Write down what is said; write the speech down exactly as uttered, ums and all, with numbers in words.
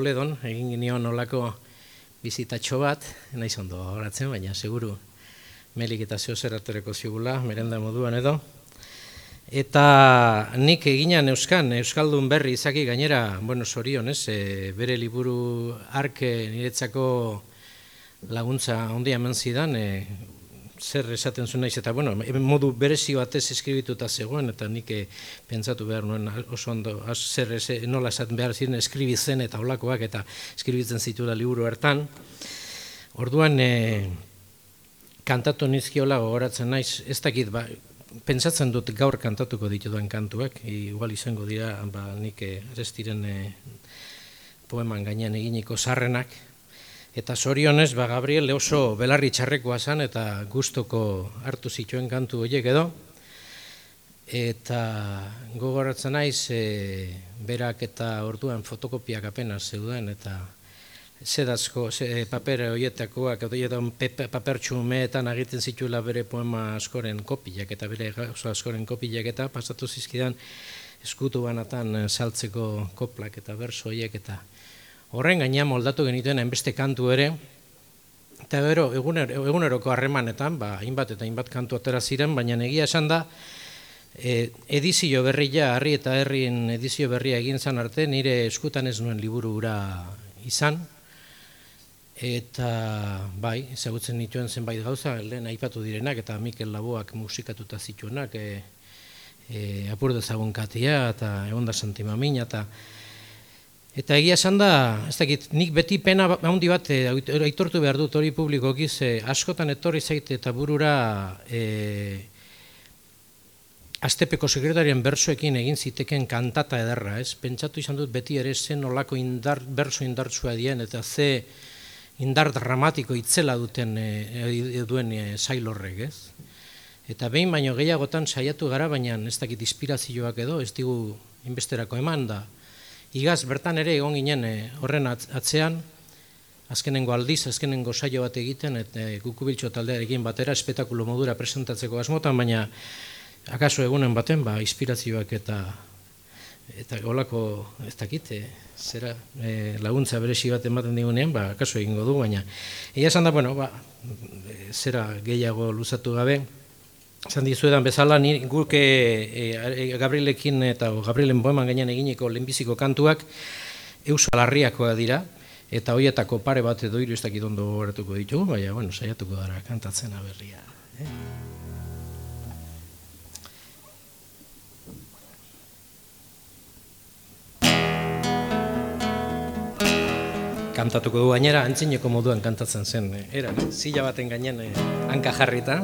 Toledon, egin ginion olako bizitatxo bat, naiz ondo horatzen, baina seguru Melik eta zeo zeratoreko zigula, merenda moduan edo. Eta nik eginan euskan, euskaldun berri izaki gainera, bueno, sorion, ez, e, bere liburu arke niretzako laguntza ondia eman zidan, e, zer esaten zuen naiz, eta bueno, modu berezi batez eskribituta zegoen, eta nik e, pentsatu behar nuen oso ondo, az, zer ez, nola esaten behar ziren eskribitzen eta olakoak, eta eskribitzen zituela liburu hartan. Orduan, e, kantatu nizkiola gogoratzen naiz, ez dakit, ba, pentsatzen dut gaur kantatuko ditudan kantuak, igual izango dira, ba, nik ez diren e, poeman gainean eginiko sarrenak, eta zorionez, ba, Gabriel oso belarri txarrekoa zen, eta gustoko hartu zituen kantu horiek edo, eta gogoratzen naiz, e, berak eta orduan fotokopiak apenas zeuden, eta zedazko ze, paper horietakoak, edo paper txumeetan egiten zituela bere poema askoren kopilak, eta bere oso askoren kopilak, eta pasatu zizkidan eskutu banatan saltzeko koplak eta berso horiek, eta horren gainean moldatu genituen hainbeste kantu ere, eta gero egunero, eguneroko harremanetan, ba, hainbat eta hainbat kantu atera ziren, baina egia esan da, e, edizio berria, Harri eta Herrin edizio berria egin zan arte, nire eskutan ez nuen liburu hura izan, eta bai, ezagutzen nituen zenbait gauza, lehen aipatu direnak, eta Mikel Laboak musikatuta zituenak, e, e, Apur dezagun Katia, eta Egonda Santimamina, eta Eta egia esan da, ez dakit, nik beti pena handi bat aitortu behar dut hori publikoki, ze askotan etorri zaite eta burura e, Astepeko sekretarien bersoekin egin ziteken kantata ederra, ez? Pentsatu izan dut beti ere zen olako indar, berso indartsua dien, eta ze indar dramatiko itzela duten e, duen e, sail horrek, ez? Eta behin baino gehiagotan saiatu gara, baina ez dakit inspirazioak edo, ez digu inbesterako eman da. Igaz, bertan ere egon ginen horren atzean, azkenengo aldiz, azkenengo saio bat egiten, eta Kukubiltxo taldearekin batera espetakulo modura presentatzeko asmotan, baina akaso egunen baten, ba, inspirazioak eta eta olako, ez dakit, e, zera e, laguntza beresi bat ematen digunean, ba, akaso egingo du, baina egia esan da, bueno, ba, zera gehiago luzatu gabe, esan dizuedan bezala, guk e, e, Gabrielekin eta Gabrielen poeman gainean eginiko lehenbiziko kantuak Euskal Herriakoa dira, eta horietako pare bat edo hiru ez dakit ondo gogoratuko ditugu, baina, bueno, saiatuko dara kantatzen aberria. Eh? Kantatuko du gainera, antzineko moduan kantatzen zen, era, zila baten gainean hanka jarrita.